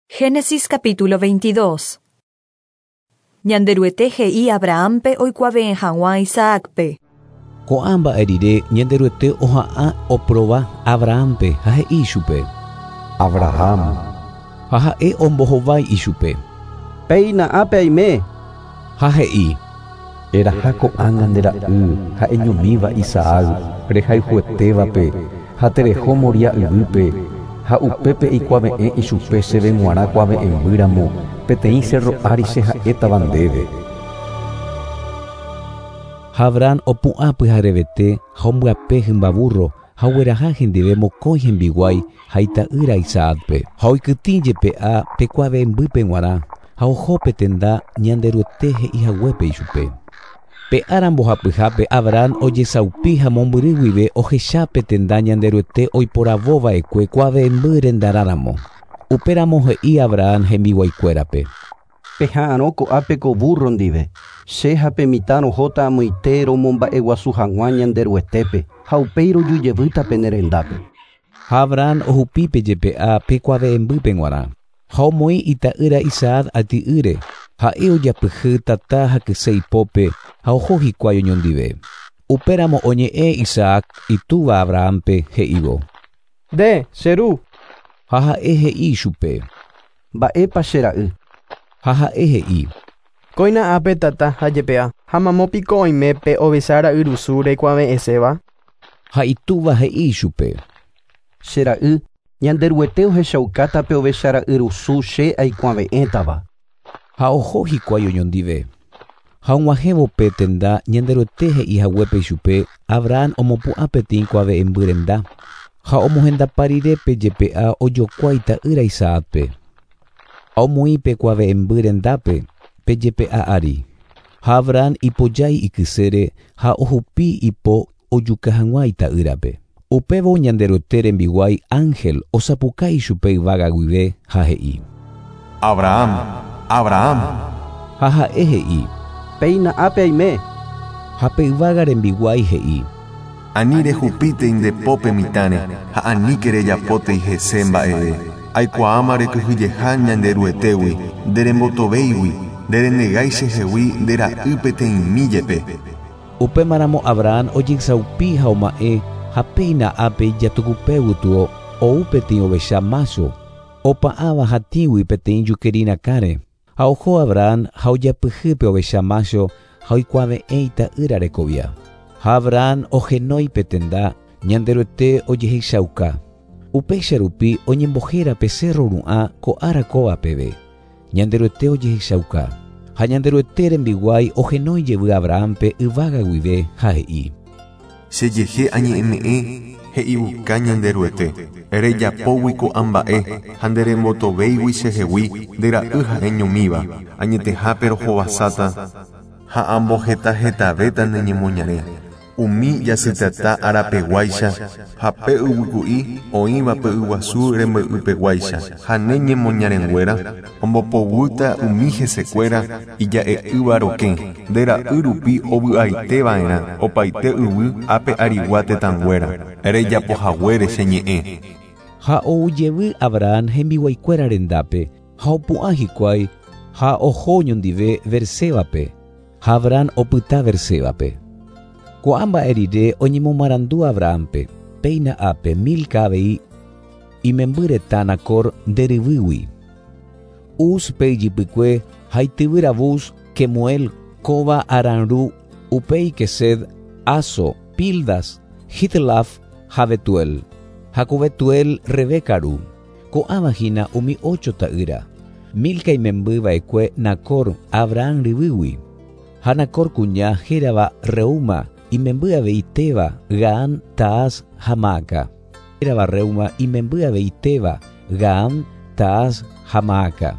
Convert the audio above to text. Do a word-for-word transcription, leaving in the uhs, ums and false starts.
Génesis capítulo veintidós. Ñanderuete he'i Abrahampe oikuave'ẽ hag̃ua Isaácpe. Ko'ã mba'e rire Ñanderuete oha'ã oprova Abrahampe ha he'i ichupe. Abraham. Ha ha'e ombohovái ichupe. Péina ápe aime. Ha he'i. Eraha ko'ág̃a nde ra'y ha'eñomíva Isaac rehayhuetévape ha tereho Moria yvýpe ha upépe eikuave'ẽ ichupe chéve g̃uarã kuave'ẽmbýramo peteĩ cerro ári che ha'étava ndéve. Ha Abraham opu'ã pyharevete ha ombyape hymba burro ha ogueraha hendive mokõi hembiguái ha ita'ýra Isaácpe ha oikytĩ jepe'a pe kuave'ẽmbýpe g̃uarã ha oho pe tenda Ñanderuete he'ihaguépe ichupe. Pe ára mbohapyhápe Abraham ojesaupi ha mombyry guive ohecha pe tenda Ñanderuete oiporavova'ekue kuave'ẽmby rendarãramo. Upéramo he'i Abraham hembiguaikuérape. Peha'arõ ko'ápe ko burro ndive. Che ha pe mitã rohóta amoite romomba'eguasu hag̃ua Ñanderuetépe ha upéi rojujevýta pene rendápe. Ha Abraham ohupípe jepe'a pe kuave'ẽmbýpe g̃uarã. Ha omoĩ ita'ýra Isaac ati'ýre. Ha'e ojapyhy tata ha kyse ipópe ha oho hikuái oñondive. Upéramo oñe'ẽ Isaac itúva Abrahampe he'ívo. Nde, che ru. Ha ha'e he'i ichupe. Mba'épa che ra'y. Ha ha'e he'i. Kóina ápe tata ha jepe'a ha mamópiko oime pe ovecha ra'yrusu reikuave'ẽséva. Ha itúva he'i ichupe. Che ra'y, Ñanderuete ohechaukáta pe ovecha ra'yrusu che aikuave'ẽtava. Ha oho hikuái oñondive. Ha og̃uahẽvo pe tenda Ñanderuete he'ihaguépe ichupe Abraham omopu'ã peteĩ kuave'ẽmby renda ha omohendapa rire pe jepe'a ojokua ita'ýra Isaácpe. Ha omoĩ pe kuave'ẽmby rendápe pe jepe'a ári. Ha Abraham ipojái ikysére ha ohupi ipo ojuka hag̃ua ita'ýrape. Upévo Ñanderuete rembiguái ángel osapukái ichupe yvága guive ha he'i. Abraham, Abraham. Ha ha'e he'i. Péina ápe aime. Ha pe yvága rembiguái he'i. Ani rehupítei nde pópe mitãre ha aníke rejapótei hese mba'eve. Aikuaáma rekyhyjeha Ñanderuetégui, nderembotovéigui, nderenegái chehegui nde ra'y peteĩmi jepe. Upémaramo Abraham ojesaupi ha oma'ẽ ha péina ápe ijatukupe gotyo ou peteĩ ovecha mácho opa'ãva hatĩgui peteĩ jukeri rakãre. Ha oho Abraham ha ojapyhy pe ovecha mácho ha oikuave'ẽ ita'ýra rekovia. Ha Abraham ohenói pe tenda Ñanderuete ojehechauka. Upéicha rupi oñembohéra pe cerro ru'ã ko ára kóva peve. Ñanderuete ojehechauka. Ha Ñanderuete rembiguái ohenói jevy Abrahampe yvága guive ha he'i. Chejehe añe'ẽme'ẽ he'iuka Ñanderuete. Rejapógui ko'ã mba'e ha nderembotovéigui chehegui nde ra'y ha'eñomíva. Añetehápe rohovasáta ha ambohetahetavéta ne ñemoñare. Umi jasytata arapeguáicha ha pe yvyku'i oĩva pe yguasu rembe'ypeguáicha ha ne ñemoñarenguéra ombopoguýta umi hesekuéra ija'e'ỹva rokẽ nde ra'y rupi ovy'aiteva'erã opaite yvy ápe arigua tetãnguéra rejapohaguére che ñe'ẽ. Ha oujevy Abraham hembiguaikuéra rendápe ha opu'ã hikuái ha oho oñondive Bersébape. Ha Abraham opyta Bersébape. Ko'ã mba'e rire oñemomarandu Abrahampe, péina ápe Milca avei imemby retã Nacor nderyvýgui. Uz pe ijypykue ha ityvýra Buz, Kemuel, kóva Aram ru, upéi Quesed, Hazo, Pildas, Jidlaf ha Betuel. Ha ko Betuel Rebeca ru. Ko'ãva hína umi ocho ta'ýra. Milca imemby va'ekue Nacor Abraham ryvýgui. Ha Nacor kuña hérava Reuma imemby avei Teba, Gaham, Tahas ha Maaca. Hérava Reuma imemby avei Teba, Gaham, Tahas ha Maaca.